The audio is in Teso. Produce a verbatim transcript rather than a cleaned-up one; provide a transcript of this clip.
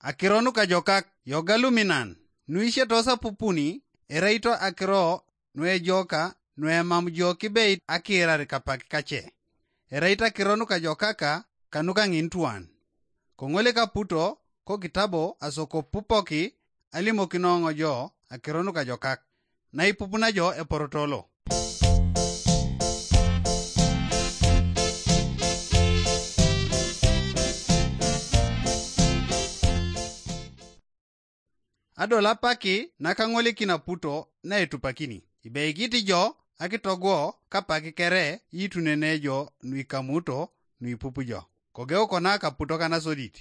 Akiro nukajokak yoga luminan nuisietos apupuni, ereito akiro nuejoka nuemam jo kibeit akiirar kapak kace. Ereito akiro nukajokaka kanuka ŋin tuan. Koŋolik aputo kokitabo asokopupoki alimokinoŋo jo akiro nukajokak naipupuna jo eporotolo. Adol apaki nakaŋolikin aputo naetupakini ibeikit jo akitogwo kapak kere iitunene jo nuikamuto nuipup jo. Kogeu kona kaputo kanasodit.